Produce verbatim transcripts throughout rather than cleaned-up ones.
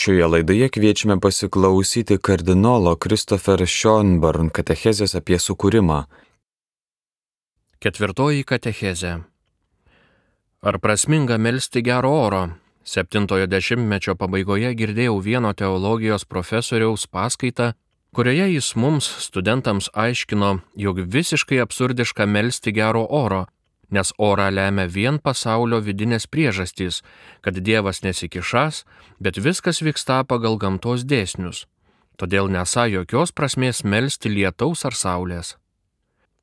Šioje laidoje kviečiame pasiklausyti kardinolo Christopher Schönborn katechezės apie sukūrimą. Ketvirtoji katechezė. Ar prasminga melsti gero oro? Septintojo dešimtmečio pabaigoje girdėjau vieno teologijos profesoriaus paskaitą, kurioje jis mums, studentams, aiškino, jog visiškai absurdiška melsti gero oro, nes orą lemia vien pasaulio vidinės priežastys, kad Dievas nesikišas, bet viskas vyksta pagal gamtos dėsnius. Todėl nesą jokios prasmės melsti lietaus ar saulės.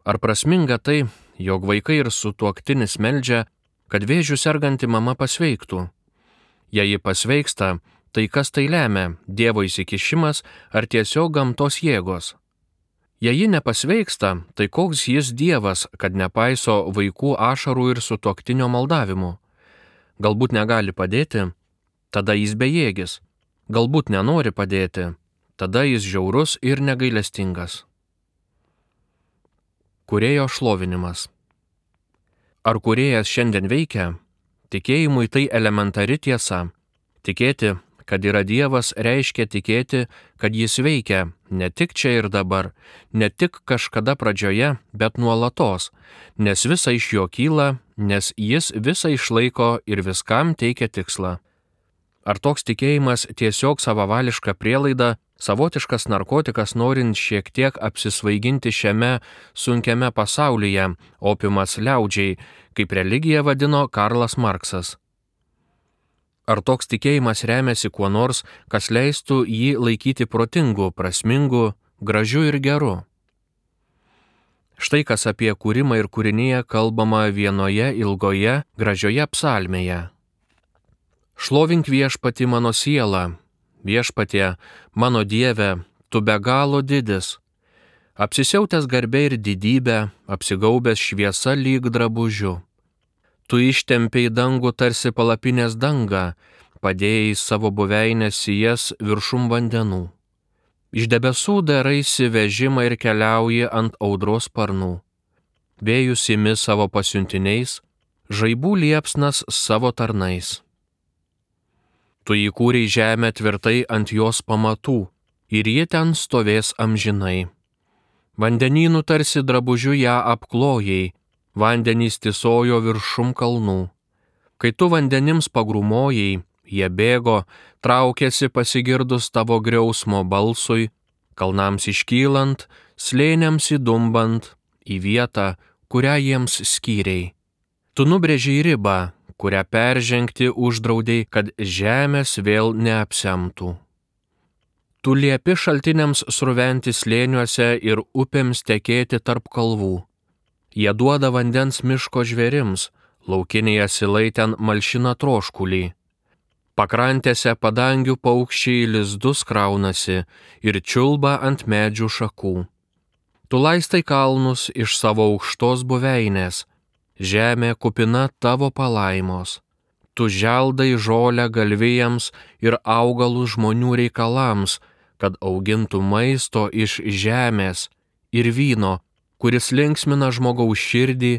Ar prasminga tai, jog vaikai ir sutuoktinis meldžia, kad vėžiu serganti mama pasveiktų? Jei ji pasveiksta, tai kas tai lemia, Dievo įsikišimas ar tiesiog gamtos jėgos? Jei ji nepasveiksta, tai koks jis Dievas, kad nepaiso vaikų ašarų ir sutuoktinio maldavimų? Galbūt negali padėti, tada jis bejėgis. Galbūt nenori padėti, tada jis žiaurus ir negailestingas. Kūrėjo šlovinimas. Ar kūrėjas šiandien veikia? Tikėjimui tai elementari tiesa. Tikėti, kad yra Dievas, reiškia tikėti, kad jis veikia ne tik čia ir dabar, ne tik kažkada pradžioje, bet nuolatos, nes visa iš jo kyla, nes jis visą išlaiko ir viskam teikia tikslą. Ar toks tikėjimas tiesiog savavališka prielaida, savotiškas narkotikas norint šiek tiek apsisvaiginti šiame sunkiame pasaulyje, opiumas liaudžiai, kaip religiją vadino Karlas Marksas? Ar toks tikėjimas remiasi kuo nors, kas leistų jį laikyti protingu, prasmingu, gražiu ir geru? Štai kas apie kūrimą ir kūrinyje kalbama vienoje ilgoje, gražioje psalmėje. Šlovink viešpatį mano sielą, viešpatie, mano Dieve, tu be galo didis. Apsisiautęs garbė ir didybė, apsigaubęs šviesa lyg drabužiu. Tu ištempiai dangų tarsi palapinės dangą, padėjai savo buveinės sijas viršum vandenų. Iš debesų daraisi vežimą ir keliauji ant audros sparnų. Vėjus imi savo pasiuntiniais, žaibų liepsnas savo tarnais. Tu įkūrei žemę tvirtai ant jos pamatų, ir ji ten stovės amžinai. Vandenynų tarsi drabužiu ją apklojai, vandenys tysojo viršum kalnų. Kai tu vandenims pagrūmojai, jie bėgo, traukėsi pasigirdus tavo griausmo balsui, kalnams iškylant, slėniams įdumbant, į vietą, kurią jiems skyrei. Tu nubrėžei ribą, kurią peržengti uždraudei, kad žemės vėl neapsemtų. Tu liepi šaltiniams sruventi slėniuose ir upėms tekėti tarp kalvų. Jie duoda vandens miško žvėrims, laukiniai asilai ten malšina troškulį. Pakrantėse padangių paukščiai lizdus kraunasi ir čiulba ant medžių šakų. Tu laistai kalnus iš savo aukštos buveinės, žemė kupina tavo palaimos. Tu želdai žolę galvijams ir augalų žmonių reikalams, kad augintų maisto iš žemės ir vyno, kuris linksmina žmogaus širdį,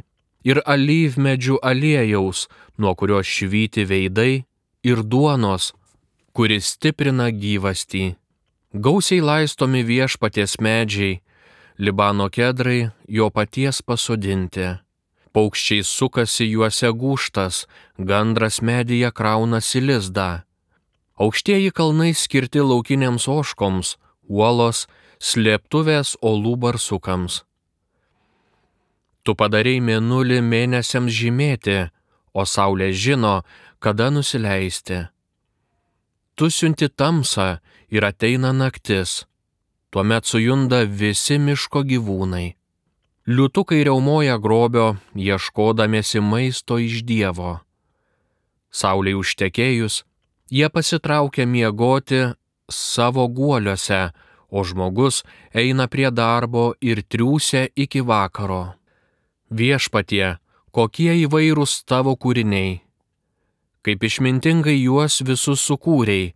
ir alyvmedžių aliejaus, nuo kurio švyti veidai, ir duonos, kuris stiprina gyvastį. Gausiai laistomi viešpaties medžiai, Libano kedrai jo paties pasodinti. Paukščiai sukasi juose gūžtas, gandras medyje kraunasi lizdą. Aukštieji kalnai skirti laukinėms ožkoms, uolos, slėptuvės olų barsukams. Tu padarei mėnulį mėnesiams žymėti, o saulė žino, kada nusileisti. Tu siunti tamsą ir ateina naktis, tuomet sujunda visi miško gyvūnai. Liūtukai riaumoja grobio, ieškodamiesi maisto iš Dievo. Saulei užtekėjus, jie pasitraukia miegoti savo guoliuose, o žmogus eina prie darbo ir triūsia iki vakaro. Viešpatie, kokie įvairūs tavo kūriniai, kaip išmintingai juos visus sukūrei,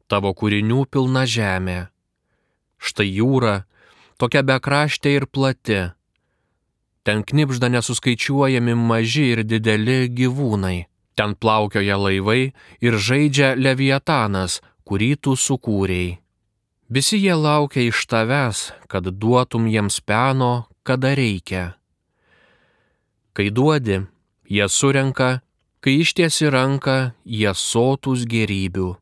tavo kūrinių pilna žemė. Štai jūra, tokia bekraštė ir plati, ten knibžda nesuskaičiuojami maži ir dideli gyvūnai, ten plaukioja laivai ir žaidžia Leviatanas, kurį tu sukūrei. Visi jie laukia iš tavęs, kad duotum jiems peno, kada reikia. Kai duodi, jie surenka, kai ištiesi ranką, jie sotus gėrybių.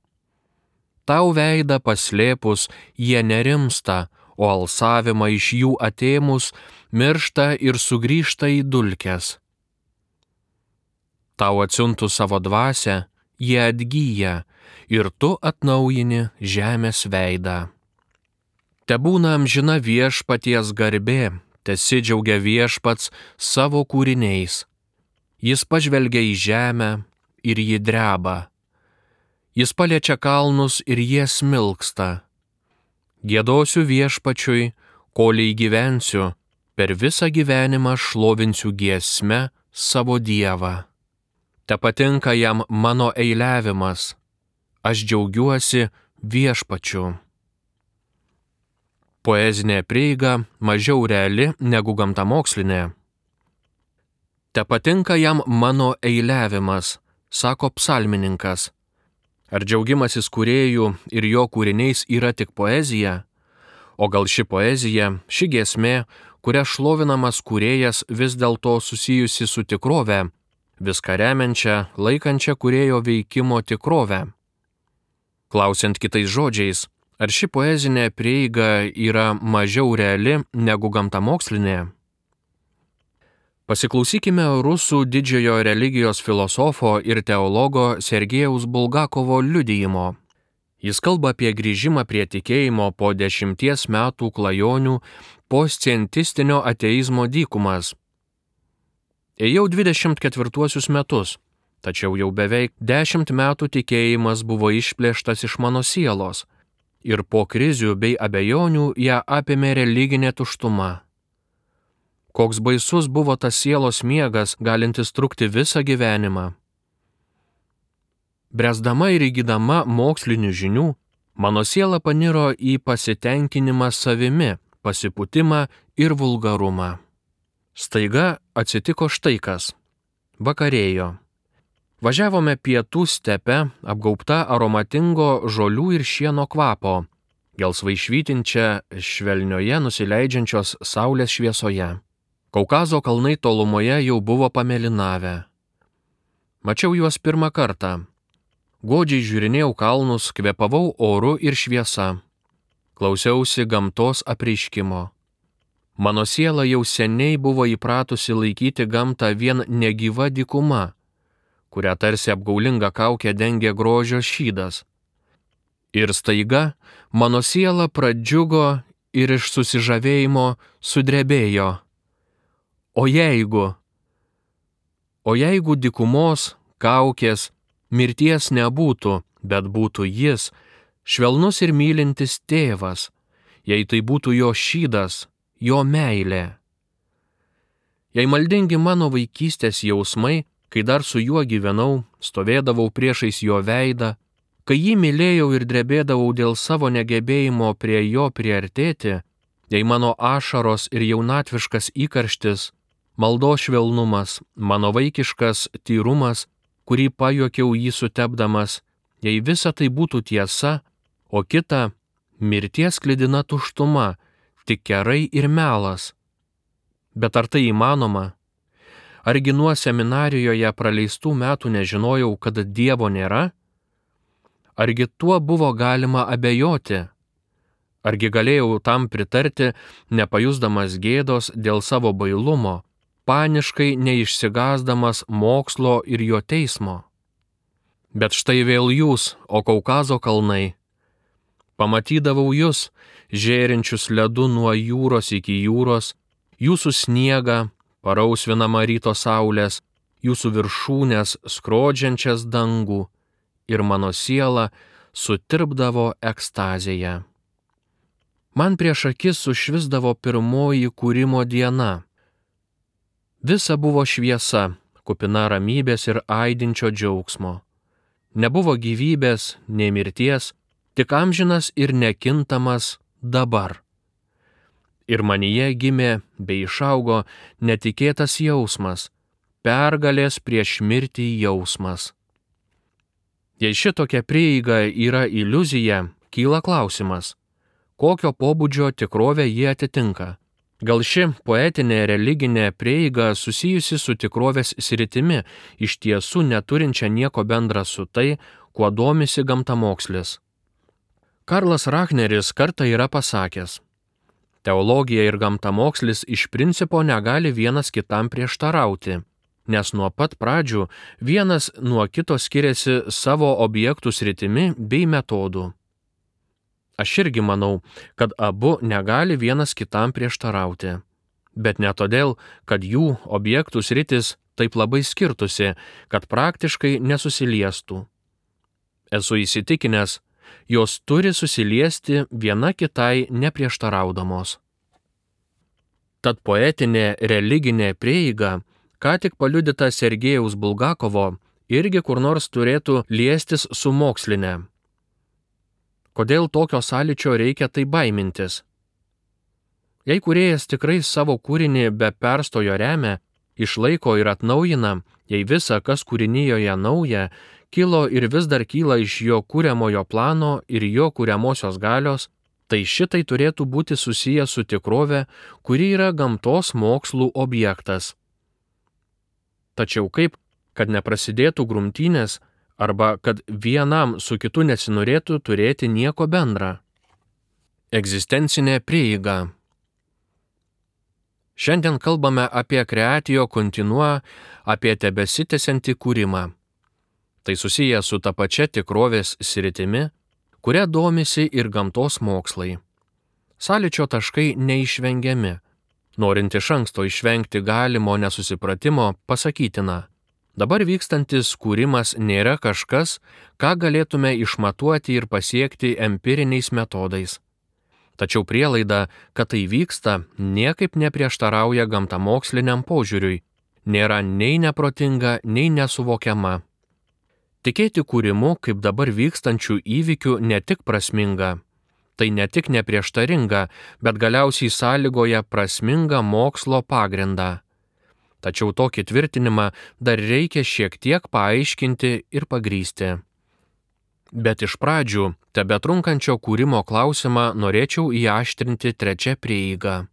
Tau veidą paslėpus, jie nerimsta, o alsavimą iš jų atėmus, miršta ir sugrįžta į dulkes. Tau atsiuntus savo dvasią, jie atgyja, ir tu atnaujini žemės veidą. Tebūna amžina viešpaties garbė, tesidžiaugia viešpats savo kūriniais. Jis pažvelgia į žemę ir ji dreba. Jis paliečia kalnus ir jie smilksta. Giedosiu viešpačiui, koliai gyvensiu, per visą gyvenimą šlovinsiu giesme savo Dievą. Te patinka jam mano eiliavimas, aš džiaugiuosi viešpačiu. Poezinė prieiga mažiau reali negu gamtamokslinė. Te patinka jam mano eiliavimas, sako psalmininkas. Ar džiaugimasis kūrėjų ir jo kūriniais yra tik poezija? O gal ši poezija, ši giesmė, kuria šlovinamas kūrėjas vis dėlto susijusi su tikrove, viską remiančia, laikančia kūrėjo veikimo tikrovę? Klausiant kitais žodžiais, ar ši poezinė prieiga yra mažiau reali negu gamtamokslinė? Pasiklausykime rusų didžiojo religijos filosofo ir teologo Sergejaus Bulgakovo liudijimo. Jis kalba apie grįžimą prie tikėjimo po dešimties metų klajonių po scientistinio ateizmo dykumas. Ėjau dvidešimt ketvirtuosius metus, tačiau jau beveik dešimt metų tikėjimas buvo išplėštas iš mano sielos ir po krizių bei abejonių ją apėmė religinė tuštuma. Koks baisus buvo tas sielos miegas, galintis trukti visą gyvenimą. Bręsdama ir įgydama mokslinių žinių, mano siela paniro į pasitenkinimą savimi, pasipūtimą ir vulgarumą. Staiga atsitiko štai kas. Vakarėjo. Važiavome pietų stepe, apgaubta aromatingo žolių ir šieno kvapo, gelsvai švytinčia švelnioje nusileidžiančios saulės šviesoje. Kaukazo kalnai tolumoje jau buvo pamėlynavę. Mačiau juos pirmą kartą. Godžiai žiūrinėjau kalnus, kvėpavau oru ir šviesa. Klausiausi gamtos apreiškimo. Mano siela jau seniai buvo įpratusi laikyti gamtą vien negyva dykuma, kurią tarsi apgaulinga kaukė dengė grožio šydas. Ir staiga mano siela pradžiugo ir iš susižavėjimo sudrebėjo. O jeigu, o jeigu dykumos, kaukės, mirties nebūtų, bet būtų jis, švelnus ir mylintis tėvas, jei tai būtų jo šydas, jo meilė. Jei maldingi mano vaikystės jausmai, kai dar su juo gyvenau, stovėdavau priešais jo veidą, kai jį mylėjau ir drebėdavau dėl savo negebėjimo prie jo priartėti, jei mano ašaros ir jaunatviškas įkarštis, maldos švelnumas, mano vaikiškas tyrumas, kurį pajuokiau jį sutepdamas, jei visa tai būtų tiesa, o kita mirties klidina tuštuma, tik kerai ir melas. Bet ar tai įmanoma? Argi nuo seminarijoje praleistų metų nežinojau, kad Dievo nėra? Argi tuo buvo galima abejoti? Argi galėjau tam pritarti, nepajusdamas gėdos dėl savo bailumo, paniškai neišsigąsdamas mokslo ir jo teismo? Bet štai vėl jūs, o Kaukazo kalnai. Pamatydavau jūs, žėrinčius ledu nuo jūros iki jūros, jūsų sniegą, parausvinamą ryto saulės, jūsų viršūnės skrodžiančias dangų, ir mano siela sutirpdavo ekstazėje. Man prieš akis sušvisdavo pirmoji kūrimo diena. Visa buvo šviesa, kupina ramybės ir aidinčio džiaugsmo. Nebuvo gyvybės, nei mirties, tik amžinas ir nekintamas dabar. Ir manyje gimė bei išaugo netikėtas jausmas, pergalės prieš mirtį jausmas. Jei šitokia prieiga yra iliuzija, kyla klausimas, kokio pobūdžio tikrovę jie atitinka. Gal ši poetinė religinė prieiga susijusi su tikrovės sritimi, iš tiesų neturinčia nieko bendra su tai, kuo domisi gamtamokslis. Karlas Rachneris kartą yra pasakęs, teologija ir gamtamokslis iš principo negali vienas kitam prieštarauti, nes nuo pat pradžių vienas nuo kito skiriasi savo objektų sritimi bei metodų. Aš irgi manau, kad abu negali vienas kitam prieštarauti, bet ne todėl, kad jų objektų sritis taip labai skirtusi, kad praktiškai nesusiliestų. Esu įsitikinęs, jos turi susiliesti viena kitai neprieštaraudamos. Tad poetinė religinė prieiga, ką tik paliudyta Sergejaus Bulgakovo, irgi kur nors turėtų liestis su moksline. Kodėl tokio sąlyčio reikia tai baimintis? Jei kūrėjas tikrai savo kūrinį be perstojo remia, išlaiko ir atnaujina, jei visa, kas kūrinijoje nauja, kilo ir vis dar kyla iš jo kūriamojo plano ir jo kūriamosios galios, tai šitai turėtų būti susiję su tikrove, kuri yra gamtos mokslų objektas. Tačiau kaip, kad neprasidėtų grumtynės, arba kad vienam su kitu nesinorėtų turėti nieko bendra. Egzistencinė prieiga. Šiandien kalbame apie creatio continua, apie tebesitęsiantį kūrimą. Tai susiję su ta pačia tikrovės sritimi, kuria domisi ir gamtos mokslai. Sąlyčio taškai neišvengiami. Norint iš anksto išvengti galimo nesusipratimo, pasakytina. Dabar vykstantis kūrimas nėra kažkas, ką galėtume išmatuoti ir pasiekti empiriniais metodais. Tačiau prielaida, kad tai vyksta, niekaip neprieštarauja gamtamoksliniam požiūriui, nėra nei neprotinga, nei nesuvokiama. Tikėti kūrimu, kaip dabar vykstančių įvykių, ne tik prasminga, tai ne tik neprieštaringa, bet galiausiai sąlygoja prasmingą mokslo pagrindą. Tačiau tokį tvirtinimą dar reikia šiek tiek paaiškinti ir pagrysti. Bet iš pradžių, tebetrunkančio kūrimo klausimą norėčiau įaštrinti trečią prieigą.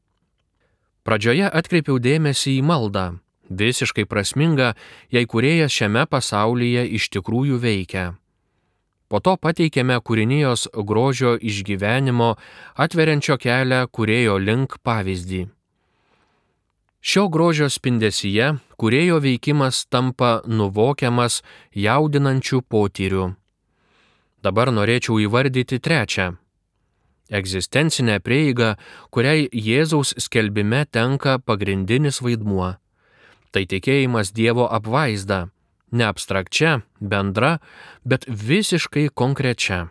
Pradžioje atkreipiau dėmesį į maldą, visiškai prasminga, jei kūrėjas šiame pasaulyje iš tikrųjų veikia. Po to pateikėme kūrinijos grožio išgyvenimo, atveriančio kelią kūrėjo link pavyzdį. Šio grožio spindesyje kūrėjo veikimas tampa nuvokiamas jaudinančių potyrių. Dabar norėčiau įvardyti trečią. Egzistencinę prieigą, kuriai Jėzaus skelbime tenka pagrindinis vaidmuo. Tai tikėjimas Dievo apvaizda, ne abstrakčia, bendra, bet visiškai konkrečia.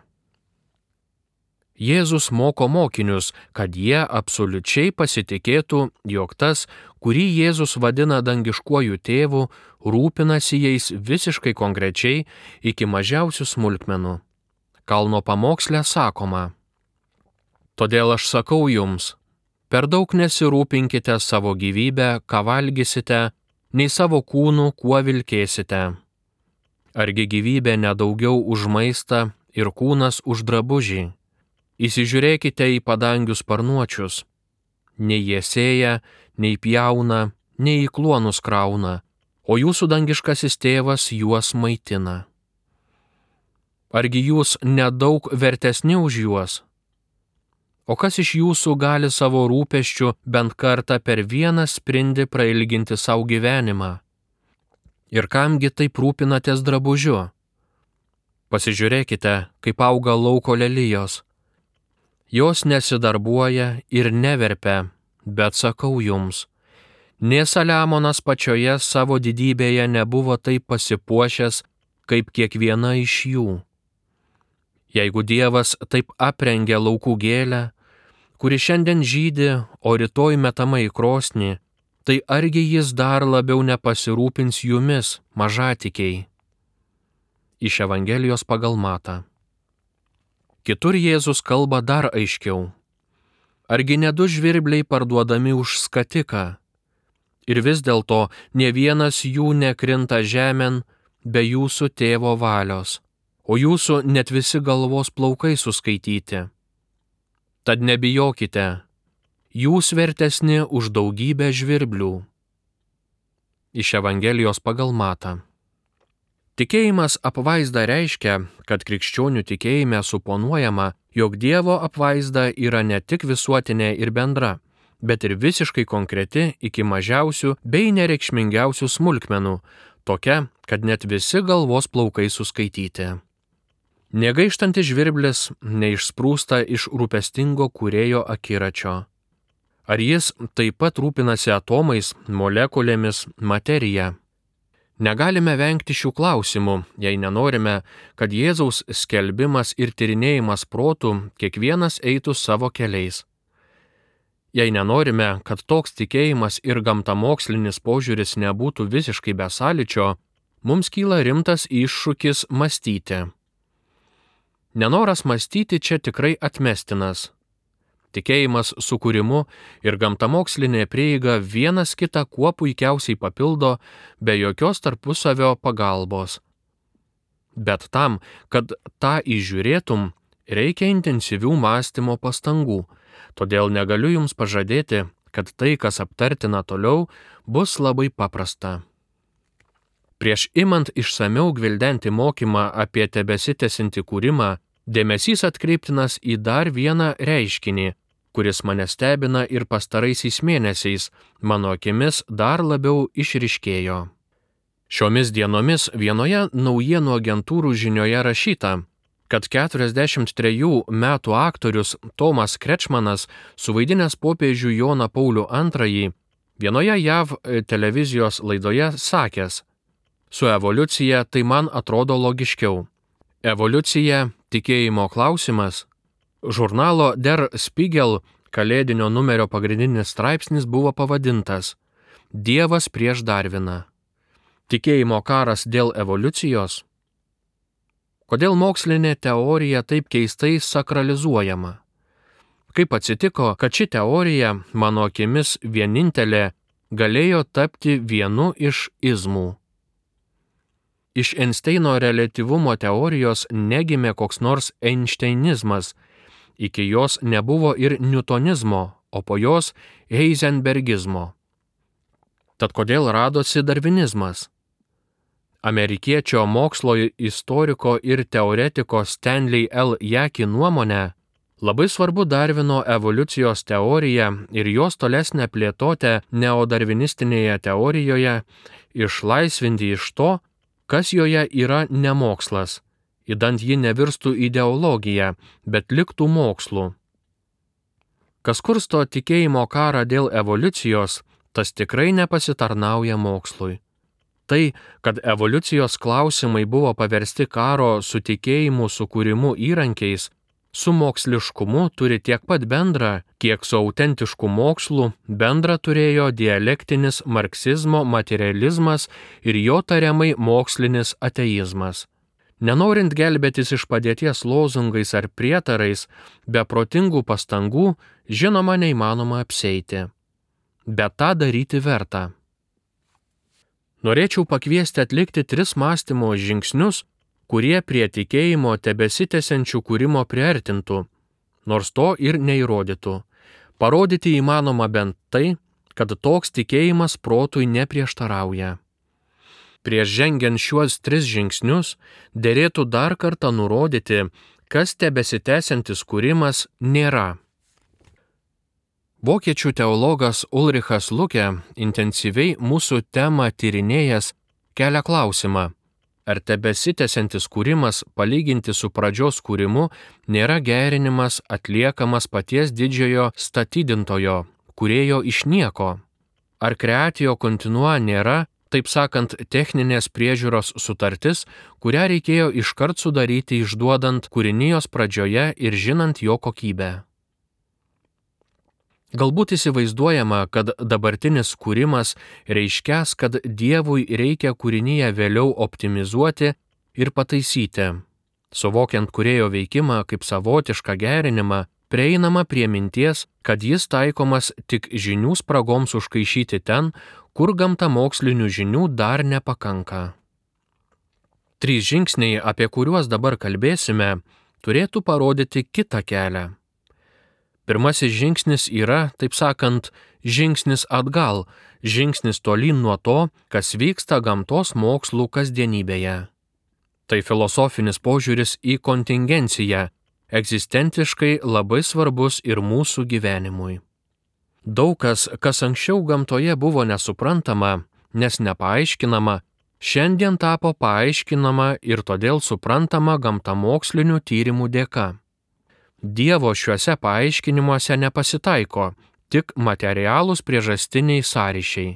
Jėzus moko mokinius, kad jie absoliučiai pasitikėtų, jog tas, kurį Jėzus vadina dangiškuoju tėvu, rūpinasi jais visiškai konkrečiai iki mažiausių smulkmenų. Kalno pamoksle sakoma: Todėl aš sakau jums, per daug nesirūpinkite savo gyvybę, ką valgysite, nei savo kūnų, kuo vilkėsite. Argi gyvybė nedaugiau už maistą ir kūnas už drabužį? Įsižiūrėkite į padangių sparnuočius. Nei jie sėja, nei pjauna, nei į kluonus krauna, o jūsų dangiškasis tėvas juos maitina. Argi jūs nedaug vertesni už juos? O kas iš jūsų gali savo rūpesčių bent kartą per vieną sprindį prailginti savo gyvenimą? Ir kamgi taip rūpinatės drabužiu? Pasižiūrėkite, kaip auga lauko lelijos. Jos nesidarbuoja ir neverpia, bet sakau jums, nė Saliamonas pačioje savo didybėje nebuvo taip pasipuošęs, kaip kiekviena iš jų. Jeigu Dievas taip aprengia laukų gėlę, kuri šiandien žydi, o rytoj metama į krosnį, tai argi jis dar labiau nepasirūpins jumis, mažatikiai? Iš Evangelijos pagal Matą. Kitur Jėzus kalba dar aiškiau. Argi ne du žvirbliai parduodami už skatiką? Ir vis dėlto ne vienas jų nekrinta žemėn be jūsų tėvo valios. o jūsų net visi galvos plaukai suskaityti. Tad nebijokite, jūs vertesni už daugybę žvirblių. Iš Evangelijos pagal Matą. Tikėjimas apvaizda reiškia, kad krikščionių tikėjime suponuojama, jog Dievo apvaizda yra ne tik visuotinė ir bendra, bet ir visiškai konkreti iki mažiausių bei nereikšmingiausių smulkmenų, tokia, kad net visi galvos plaukai suskaityti. Negaištantis žvirblis neišsprūsta iš rūpestingo kūrėjo akiračio. Ar jis taip pat rūpinasi atomais, molekulėmis, materija? Negalime vengti šių klausimų, jei nenorime, kad Jėzaus skelbimas ir tyrinėjimas protų kiekvienas eitų savo keliais. Jei nenorime, kad toks tikėjimas ir gamtamokslinis požiūris nebūtų visiškai be sąlyčio, mums kyla rimtas iššūkis mąstyti. Nenoras mąstyti čia tikrai atmestinas. Tikėjimas sukūrimu ir gamtamokslinė prieiga vienas kitą kuo puikiausiai papildo be jokios tarpusavio pagalbos. Bet tam, kad tą įžiūrėtum, reikia intensyvių mąstymo pastangų, todėl negaliu jums pažadėti, kad tai, kas aptartina toliau, bus labai paprasta. Prieš imant išsamiau gvildenti mokymą apie tebesitęsiantį kūrimą, dėmesys atkreiptinas į dar vieną reiškinį, kuris mane stebina ir pastaraisiais mėnesiais, mano akimis dar labiau išryškėjo. Šiomis dienomis vienoje naujienų agentūrų žinioje rašyta, kad keturiasdešimt trejų metų aktorius Tomas Krečmanas, suvaidinęs popiežių Joną Paulių antrąjį, vienoje J A V televizijos laidoje sakęs: "Su evoliucija tai man atrodo logiškiau. Evoliucija – tikėjimo klausimas." Žurnalo Der Spiegel kalėdinio numerio pagrindinis straipsnis buvo pavadintas "Dievas prieš Darviną. Tikėjimo karas dėl evoliucijos?" Kodėl mokslinė teorija taip keistai sakralizuojama? Kaip atsitiko, kad ši teorija, mano akimis vienintelė, galėjo tapti vienu iš izmų? Iš Einšteino reliatyvumo teorijos negimė koks nors einšteinizmas, iki jos nebuvo ir niutonizmo, o po jos heizenbergizmo. Tad kodėl radosi darvinizmas? Amerikiečio mokslo istoriko ir teoretiko Stanley L. Jaki nuomone, labai svarbu Darvino evoliucijos teorija ir jos tolesnę plėtotę neodarvinistinėje teorijoje išlaisvinti iš to, kas joje yra nemokslas, idant ji nevirstų ideologija, bet liktų mokslu. Kas kursto tikėjimo karą dėl evoliucijos, tas tikrai nepasitarnauja mokslui. Tai, kad evoliucijos klausimai buvo paversti karo su tikėjimu sukūrimu įrankiais, su moksliškumu turi tiek pat bendra, kiek su autentišku mokslu bendra turėjo dialektinis marksizmo materializmas ir jo tariamai mokslinis ateizmas. Nenorint gelbėtis iš padėties lozungais ar prietarais, be protingų pastangų, žinoma, neįmanoma apsieiti. Bet tą daryti verta. Norėčiau pakviesti atlikti tris mąstymo žingsnius, kurie prie tikėjimo tebesitęsiančių kūrimo priartintų, nors to ir neįrodytų. Parodyti įmanoma bent tai, kad toks tikėjimas protui neprieštarauja. Prieš žengiant šiuos tris žingsnius, derėtų dar kartą nurodyti, kas tebesitęsiantis kūrimas nėra. Vokiečių teologas Ulrichas Luke, intensyviai mūsų temą tyrinėjęs, kelia klausimą, ar tebesitęsiantis kūrimas palyginti su pradžios kūrimu nėra gerinimas atliekamas paties didžiojo statydintojo, kūrėjo iš nieko. Ar creatio continua nėra, taip sakant, techninės priežiūros sutartis, kurią reikėjo iškart sudaryti išduodant kūrinijos pradžioje ir žinant jo kokybę. Galbūt įsivaizduojama, kad dabartinis kūrimas reiškęs, kad Dievui reikia kūrinyje vėliau optimizuoti ir pataisyti. Suvokiant kūrėjo veikimą kaip savotišką gerinimą, prieinama prie minties, kad jis taikomas tik žinių spragoms užkaišyti ten, kur gamtamokslinių žinių dar nepakanka. Trys žingsniai, apie kuriuos dabar kalbėsime, turėtų parodyti kitą kelią. Pirmasis žingsnis yra, taip sakant, žingsnis atgal, žingsnis tolyn nuo to, kas vyksta gamtos mokslų kasdienybėje. Tai filosofinis požiūris į kontingenciją, egzistentiškai labai svarbus ir mūsų gyvenimui. Daug kas, kas anksčiau gamtoje buvo nesuprantama, nes nepaaiškinama, šiandien tapo paaiškinama ir todėl suprantama gamtamokslinių tyrimų dėka. Dievo šiuose paaiškinimuose nepasitaiko, tik materialūs priežastiniai sąryšiai.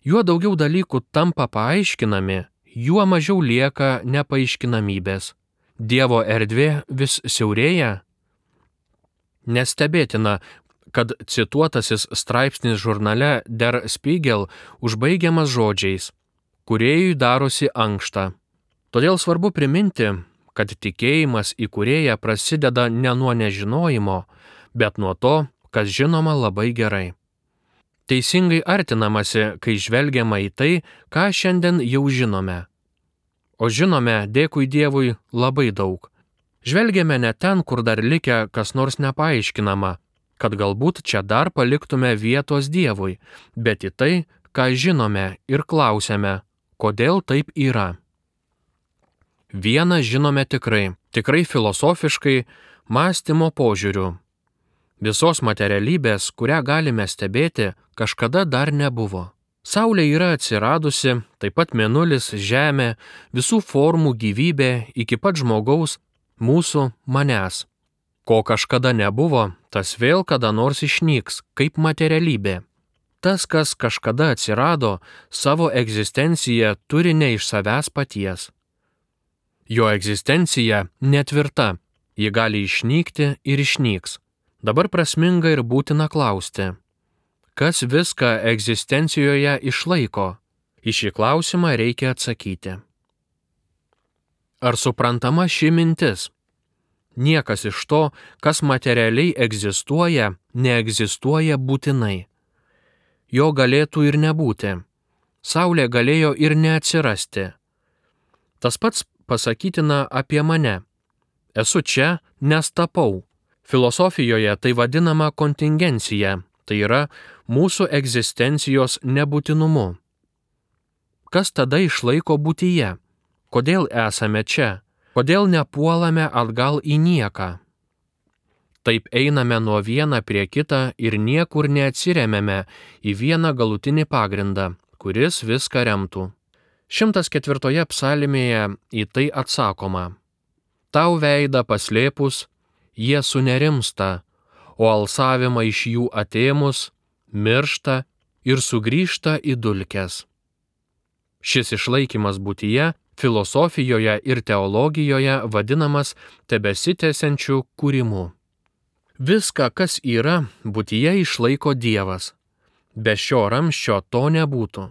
Juo daugiau dalykų tampa paaiškinami, juo mažiau lieka nepaaiškinamybės. Dievo erdvė vis siaurėja. Nestebėtina, kad cituotasis straipsnis žurnale Der Spiegel užbaigiamas žodžiais: kūrėjui darosi ankšta. Todėl svarbu priminti, kad tikėjimas į kūrėją prasideda ne nuo nežinojimo, bet nuo to, kas žinoma labai gerai. Teisingai artinamasi, kai žvelgiama į tai, ką šiandien jau žinome. O žinome, dėkui Dievui, labai daug. Žvelgiame ne ten, kur dar likę kas nors nepaaiškinama, kad galbūt čia dar paliktume vietos Dievui, bet į tai, ką žinome ir klausiame, kodėl taip yra. Vieną žinome tikrai, tikrai filosofiškai, mąstymo požiūriu. Visos materialybės, kurią galime stebėti, kažkada dar nebuvo. Saulė yra atsiradusi, taip pat mėnulis, žemė, visų formų gyvybė iki pat žmogaus, mūsų, manęs. Ko kažkada nebuvo, tas vėl kada nors išnyks, kaip materialybė. Tas, kas kažkada atsirado, savo egzistenciją turi ne iš savęs paties. Jo egzistencija netvirta, ji gali išnykti ir išnyks. Dabar prasminga ir būtina klausti, kas viską egzistencijoje išlaiko? Į šį klausimą reikia atsakyti. Ar suprantama ši mintis? Niekas iš to, kas materialiai egzistuoja, neegzistuoja būtinai. Jo galėtų ir nebūti. Saulė galėjo ir neatsirasti. Tas pats pasakytina apie mane. Esu čia, nes tapau. Filosofijoje tai vadinama kontingencija, tai yra mūsų egzistencijos nebūtinumu. Kas tada išlaiko būtyje? Kodėl esame čia? Kodėl nepuolame atgal į nieką? Taip einame nuo vieną prie kitą ir niekur neatsiremiame į vieną galutinį pagrindą, kuris viską remtų. šimtas ketvirtoje psalmėje į tai atsakoma: tau veidą paslėpus, jie sunerimsta, o alsavimą iš jų atėmus, miršta ir sugrįžta į dulkes. Šis išlaikymas būtyje filosofijoje ir teologijoje vadinamas tebesitęsiančiu kūrimu. Viską, kas yra, būtyje išlaiko Dievas. Be šio ramsčio to nebūtų.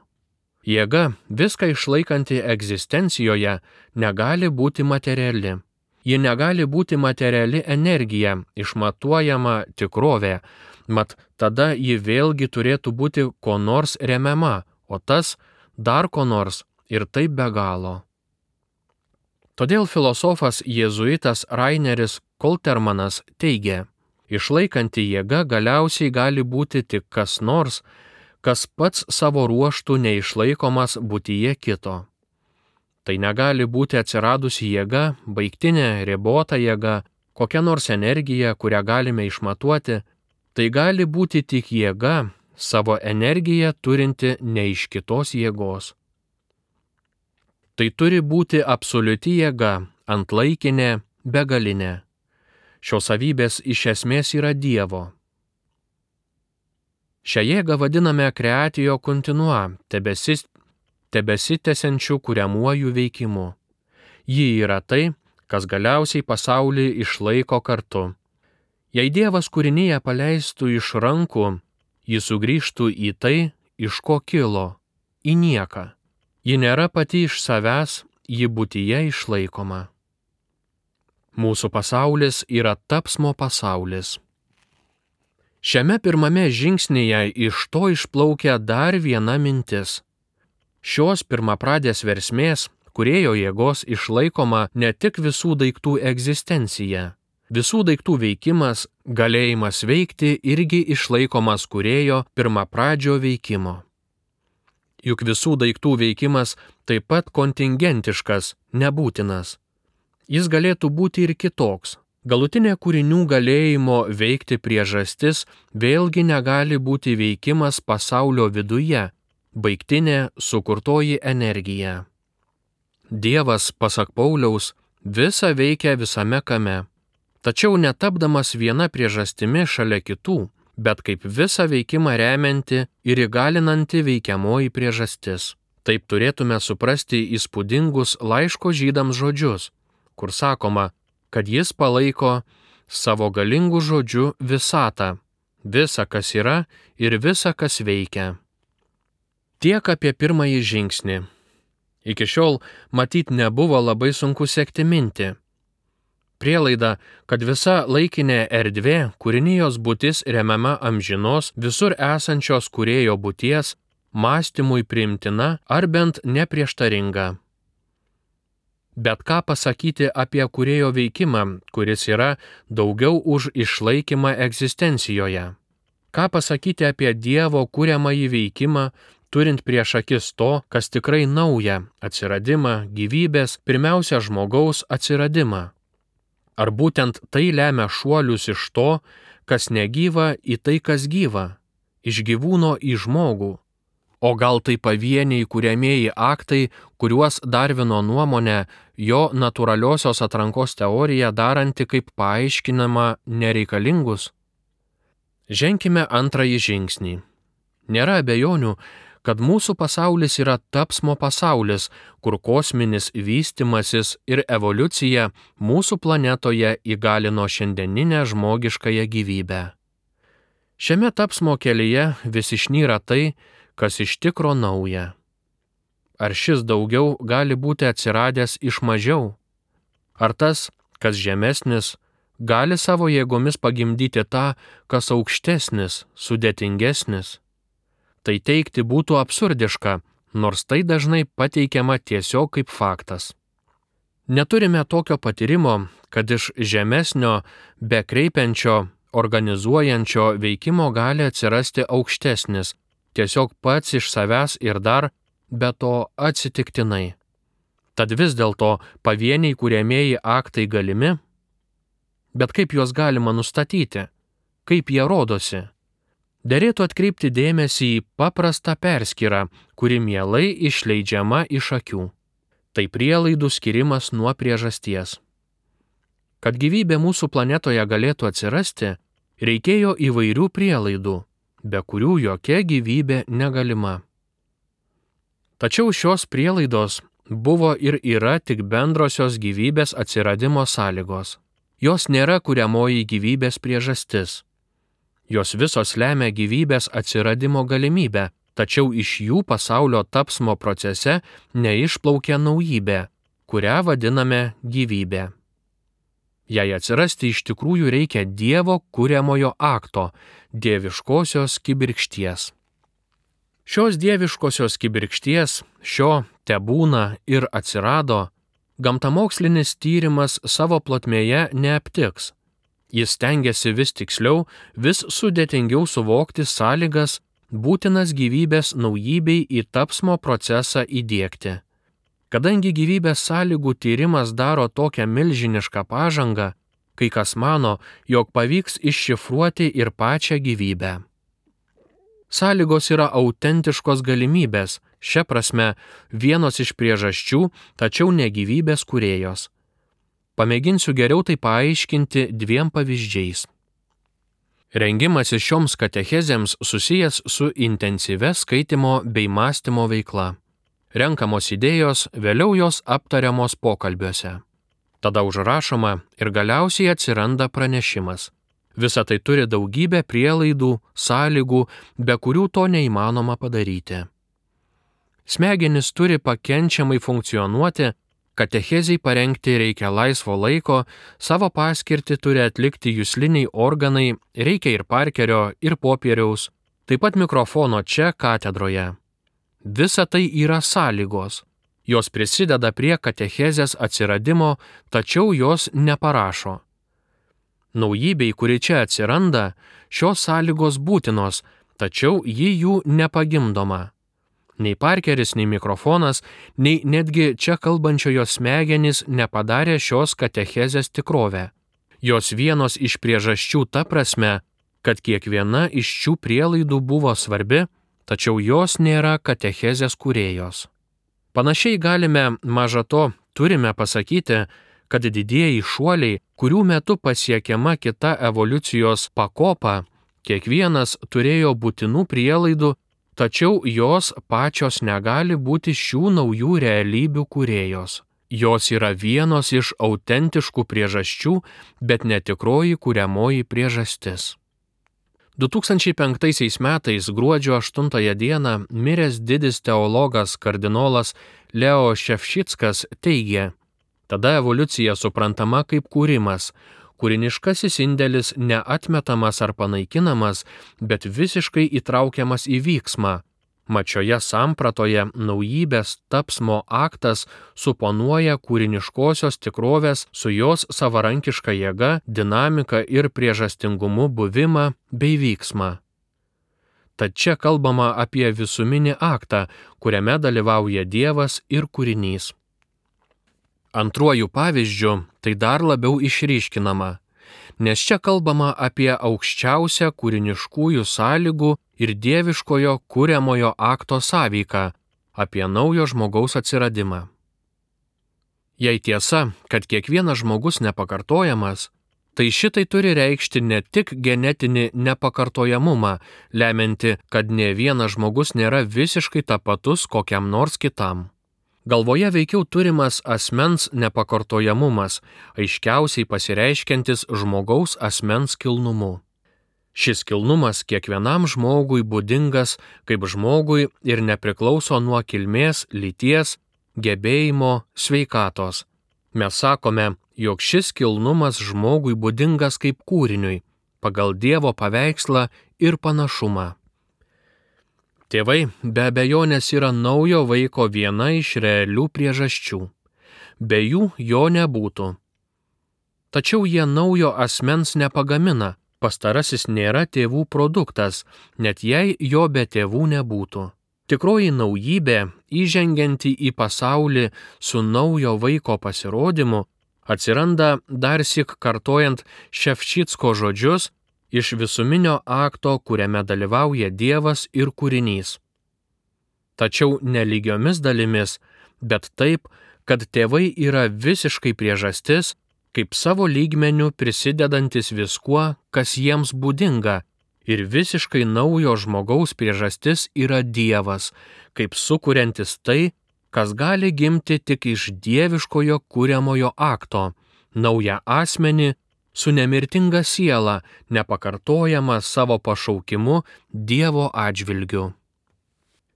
Jėga, viską išlaikanti egzistencijoje, negali būti materiali. Ji negali būti materiali energija, išmatuojama tikrovė, mat tada ji vėlgi turėtų būti ko nors remiama, o tas dar ko nors ir taip be galo. Todėl filosofas jėzuitas Raineris Koltermanas teigia, išlaikanti jėga galiausiai gali būti tik kas nors, kas pats savo ruoštų neišlaikomas būtyje kito. Tai negali būti atsiradusi jėga, baigtinė, ribota jėga, kokia nors energija, kurią galime išmatuoti, tai gali būti tik jėga, savo energiją turinti ne iš kitos jėgos. Tai turi būti absoliuti jėga, antlaikinė, begalinė. Šios savybės iš esmės yra Dievo. Šią jėgą vadiname creatio continua, tebesis, tebesitęsiančiu kuriamuoju veikimu. Ji yra tai, kas galiausiai pasaulį išlaiko kartu. Jei Dievas kūrinyje paleistų iš rankų, ji sugrįžtų į tai, iš ko kilo, į nieką. Ji nėra pati iš savęs, ji būtyje išlaikoma. Mūsų pasaulis yra tapsmo pasaulis. Šiame pirmame žingsnyje iš to išplaukia dar viena mintis. Šios pirmapradės versmės, kūrėjo jėgos išlaikoma ne tik visų daiktų egzistencija. Visų daiktų veikimas, galėjimas veikti irgi išlaikomas kūrėjo pirmapradžio veikimo. Juk visų daiktų veikimas taip pat kontingentiškas, nebūtinas. Jis galėtų būti ir kitoks. Galutinė kūrinių galėjimo veikti priežastis vėlgi negali būti veikimas pasaulio viduje, baigtinė sukurtoji energija. Dievas, pasak Pauliaus, visa veikia visame kame, tačiau netapdamas viena priežastimi šalia kitų, bet kaip visą veikimą remianti ir įgalinanti veikiamoji priežastis. Taip turėtume suprasti įspūdingus laiško Žydams žodžius, kur sakoma, kad jis palaiko savo galingų žodžių visatą, visa, kas yra ir visa, kas veikia. Tiek apie pirmąjį žingsnį. Iki šiol, matyt, nebuvo labai sunku sekti mintį. Prielaida, kad visa laikinė erdvė, kūrinijos būtis remiama amžinos, visur esančios kūrėjo būties, mąstymui priimtina ar bent neprieštaringa. Bet ką pasakyti apie kūrėjo veikimą, kuris yra daugiau už išlaikymą egzistencijoje? Ką pasakyti apie Dievo kuriamąjį veikimą, turint prieš akis to, kas tikrai nauja – atsiradimą, gyvybės, pirmiausia žmogaus atsiradimą? Ar būtent tai lemia šuolius iš to, kas negyva, į tai, kas gyva, iš gyvūno į žmogų? O gal tai pavieniai kuriamieji aktai, kuriuos Darvino nuomonė, jo natūraliosios atrankos teorija daranti kaip paaiškinama nereikalingus? Ženkime antrąjį žingsnį. Nėra abejonių, kad mūsų pasaulis yra tapsmo pasaulis, kur kosminis vystimasis ir evoliucija mūsų planetoje įgalino šiandieninę žmogiškąją gyvybę. Šiame tapsmo kelyje vis išnyra tai, kas iš tikro nauja. Ar šis daugiau gali būti atsiradęs iš mažiau? Ar tas, kas žemesnis, gali savo jėgomis pagimdyti tą, kas aukštesnis, sudėtingesnis? Tai teigti būtų absurdiška, nors tai dažnai pateikiama tiesiog kaip faktas. Neturime tokio patyrimo, kad iš žemesnio, bekreipiančio, organizuojančio veikimo gali atsirasti aukštesnis, tiesiog pats iš savęs ir dar, be to atsitiktinai. Tad vis dėlto pavieniai kuriamieji aktai galimi? Bet kaip juos galima nustatyti? Kaip jie rodosi? Derėtų atkreipti dėmesį į paprastą perskyrą, kuri mielai išleidžiama iš akių. Tai prielaidų skirimas nuo priežasties. Kad gyvybė mūsų planetoje galėtų atsirasti, reikėjo įvairių prielaidų, be kurių jokia gyvybė negalima. Tačiau šios prielaidos buvo ir yra tik bendrosios gyvybės atsiradimo sąlygos. Jos nėra kuriamoji gyvybės priežastis. Jos visos lemia gyvybės atsiradimo galimybę, tačiau iš jų pasaulio tapsmo procese neišplaukia naujybė, kurią vadiname gyvybė. Jei atsirasti iš tikrųjų reikia Dievo kuriamojo akto, dieviškosios kibirkšties. Šios dieviškosios kibirkšties, šio tebūna ir atsirado, gamtamokslinis tyrimas savo plotmėje neaptiks. Jis stengiasi vis tiksliau, vis sudėtingiau suvokti sąlygas, būtinas gyvybės naujybei į tapsmo procesą įdiegti. Kadangi gyvybės sąlygų tyrimas daro tokią milžinišką pažangą, kai kas mano, jog pavyks iššifruoti ir pačią gyvybę. Sąlygos yra autentiškos galimybės, šia prasme vienos iš priežasčių, tačiau ne gyvybės kūrėjos. Pamėginsiu geriau tai paaiškinti dviem pavyzdžiais. Rengimasis šioms katechezėms susijęs su intensyvia skaitimo bei mąstymo veikla. Renkamos idėjos, vėliau jos aptariamos pokalbiuose. Tada užrašoma ir galiausiai atsiranda pranešimas. Visa tai turi daugybę prielaidų, sąlygų, be kurių to neįmanoma padaryti. Smegenys turi pakenčiamai funkcionuoti, katechezei parengti reikia laisvo laiko, savo paskirtį turi atlikti jusliniai organai, reikia ir parkerio, ir popieriaus, taip pat mikrofono čia katedroje. Visa tai yra sąlygos. Jos prisideda prie katechezės atsiradimo, tačiau jos neparašo. Naujybei, kuri čia atsiranda, šios sąlygos būtinos, tačiau ji jų nepagimdoma. Nei Parkeris, nei mikrofonas, nei netgi čia kalbančiojo smegenys nepadarė šios katechezės tikrovę. Jos vienos iš priežasčių ta prasme, kad kiekviena iš šių prielaidų buvo svarbi, tačiau jos nėra katechezės kūrėjos. Panašiai galime, maža to, turime pasakyti, kad didieji šuoliai, kurių metu pasiekiama kita evoliucijos pakopa, kiekvienas turėjo būtinų prielaidų, tačiau jos pačios negali būti šių naujų realybių kūrėjos. Jos yra vienos iš autentiškų priežasčių, bet netikroji kuriamoji priežastis. du tūkstančiai penktaisiais metais gruodžio aštuntąją dieną miręs didis teologas kardinolas Leo Ševčickas teigė: tada evoliucija suprantama kaip kūrimas, kūriniškasis indėlis neatmetamas ar panaikinamas, bet visiškai įtraukiamas į vyksmą. Mat šioje sampratoje naujybės tapsmo aktas suponuoja kūriniškosios tikrovės su jos savarankiška jėga, dinamika ir priežastingumu buvimą bei vyksmą. Tad čia kalbama apie visuminį aktą, kuriame dalyvauja Dievas ir kūrinys. Antruoju pavyzdžiu tai dar labiau išryškinama, nes čia kalbama apie aukščiausią kūriniškųjų sąlygų ir dieviškojo kuriamojo akto sąveiką, apie naujo žmogaus atsiradimą. Jei tiesa, kad kiekvienas žmogus nepakartojamas, tai šitai turi reikšti ne tik genetinį nepakartojamumą, lemianti, kad ne vienas žmogus nėra visiškai tapatus kokiam nors kitam. Galvoje veikiau turimas asmens nepakartojamumas, aiškiausiai pasireiškiantis žmogaus asmens kilnumu. Šis kilnumas kiekvienam žmogui būdingas kaip žmogui ir nepriklauso nuo kilmės, lyties, gebėjimo, sveikatos. Mes sakome, jog šis kilnumas žmogui būdingas kaip kūriniui, pagal Dievo paveikslą ir panašumą. Tėvai be abejonės yra naujo vaiko viena iš realių priežasčių. Be jų jo nebūtų. Tačiau jie naujo asmens nepagamina, pastarasis nėra tėvų produktas, net jei jo be tėvų nebūtų. Tikroji naujybė, įžengianti į pasaulį su naujo vaiko pasirodymu, atsiranda dar syk kartojant Ševčicko žodžius iš visuminio akto, kuriame dalyvauja Dievas ir kūrinys. Tačiau ne lygiomis dalimis, bet taip, kad tėvai yra visiškai priežastis, kaip savo lygmeniu prisidedantis viskuo, kas jiems būdinga, ir visiškai naujo žmogaus priežastis yra Dievas, kaip sukuriantis tai, kas gali gimti tik iš dieviškojo kuriamojo akto, naują asmenį su nemirtinga siela, nepakartojama savo pašaukimu Dievo atžvilgiu.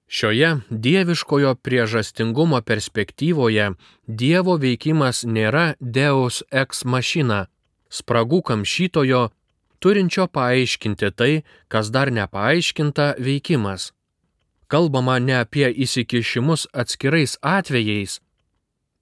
Šioje dieviškojo priežastingumo perspektyvoje Dievo veikimas nėra Deus ex machina, spragų kamšytojo, turinčio paaiškinti tai, kas dar nepaaiškinta veikimas. Kalbama ne apie įsikišimus atskirais atvejais,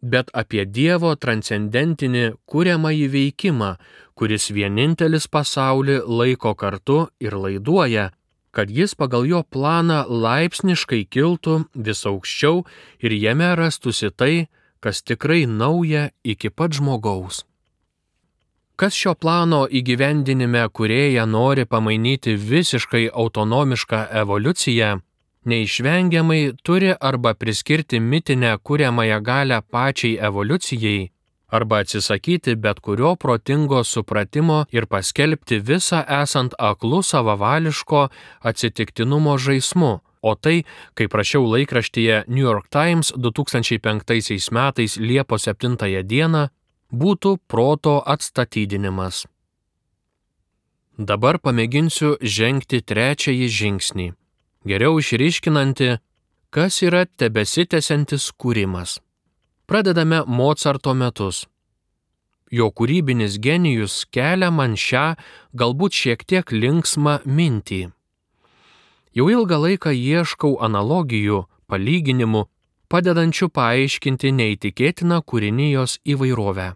bet apie Dievo transcendentinį kuriamąjį veikimą, kuris vienintelis pasaulį laiko kartu ir laiduoja, kad jis pagal jo planą laipsniškai kiltų vis aukščiau ir jame rastųsi tai, kas tikrai nauja iki pat žmogaus. Kas šio plano įgyvendinime kūrėja nori pamainyti visiškai autonomišką evoliuciją, neišvengiamai turi arba priskirti mitinę kuriamąją galią pačiai evoliucijai, arba atsisakyti bet kurio protingo supratimo ir paskelbti visą esant aklų savavališko atsitiktinumo žaismu, o tai, kaip rašiau laikraštyje New York Times du tūkstančiai penktaisiais metais Liepos septintąją dieną, būtų proto atstatydinimas. Dabar pamėginsiu žengti trečiąjį žingsnį, geriau išryškinanti, kas yra tebesitęsiantis kūrimas. Pradedame Mozarto metus. Jo kūrybinis genijus kelia man šią, galbūt šiek tiek linksmą mintį. Jau ilgą laiką ieškau analogijų, palyginimų, padedančių paaiškinti neįtikėtiną kūrinijos įvairovę.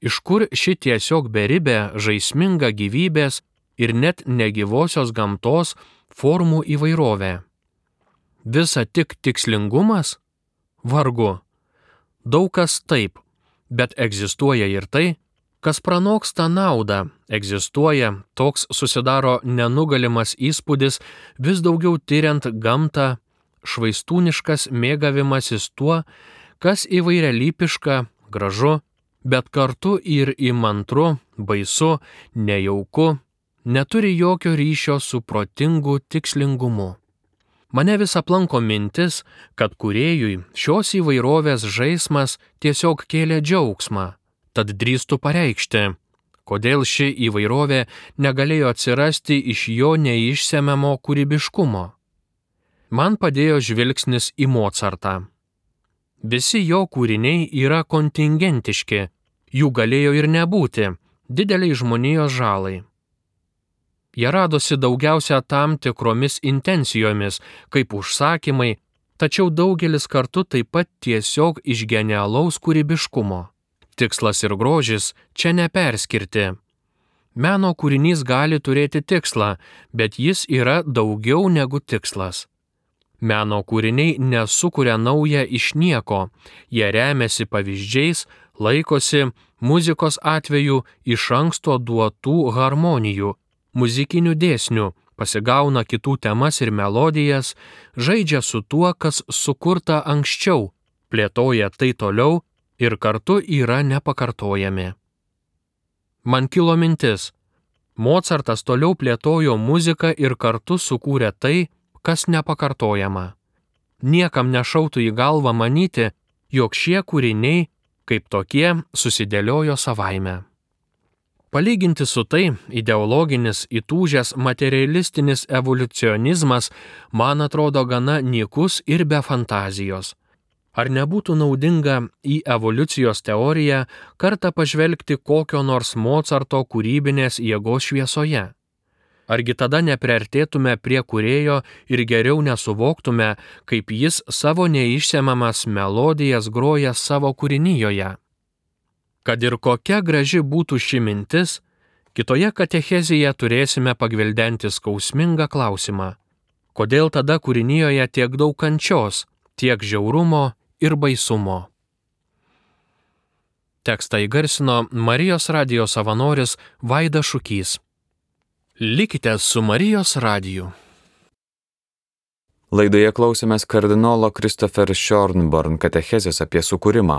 Iš kur ši tiesiog beribė, žaisminga gyvybės ir net negyvosios gamtos formų įvairovė? Visa tik tikslingumas? Vargu. Daug kas taip, bet egzistuoja ir tai, kas pranoksta naudą, egzistuoja, toks susidaro nenugalimas įspūdis vis daugiau tyriant gamtą, švaistūniškas mėgavimasis tuo, kas įvairialypiška, gražu, bet kartu ir įmantru, baisu, nejauku, neturi jokio ryšio su protingu tikslingumu. Mane vis aplanko mintis, kad kūrėjui šios įvairovės žaismas tiesiog kėlė džiaugsmą, tad drįstu pareikšti, kodėl ši įvairovė negalėjo atsirasti iš jo neišsemiamo kūrybiškumo. Man padėjo žvilgsnis į Mocartą. Visi jo kūriniai yra kontingentiški, jų galėjo ir nebūti, dideliai žmonijos žalai. Jie radosi daugiausia tam tikromis intencijomis, kaip užsakymai, tačiau daugelis kartu taip pat tiesiog iš genialaus kūrybiškumo. Tikslas ir grožis čia neperskirti. Meno kūrinys gali turėti tikslą, bet jis yra daugiau negu tikslas. Meno kūriniai nesukuria naują iš nieko, jie remiasi pavyzdžiais, laikosi muzikos atveju iš anksto duotų harmonijų, muzikinių dėsnių, pasigauna kitų temas ir melodijas, žaidžia su tuo, kas sukurta anksčiau, plėtoja tai toliau ir kartu yra nepakartojami. Man kilo mintis, Mocartas toliau plėtojo muziką ir kartu sukūrė tai, kas nepakartojama. Niekam nešautų į galvą manyti, jog šie kūriniai, kaip tokie, susidėliojo savaime. Palyginti su tai, ideologinis, įtūžęs materialistinis evoliucionizmas man atrodo gana nykus ir be fantazijos. Ar nebūtų naudinga į evoliucijos teoriją kartą pažvelgti kokio nors Mocarto kūrybinės jėgos šviesoje? Argi tada nepriartėtume prie kūrėjo ir geriau nesuvoktume, kaip jis savo neišsemiamas melodijas groja savo kūrinijoje? Kad ir kokia graži būtų ši mintis, kitoje katechezėje turėsime pagvildenti skausmingą klausimą. Kodėl tada kūrinijoje tiek daug kančios, tiek žiaurumo ir baisumo? Tekstą įgarsino Marijos radijo savanoris Vaidas Šukys. Likite su Marijos radiju. Laidoje klausėmės kardinolo Christopher Schonborn katechezės apie sukūrimą.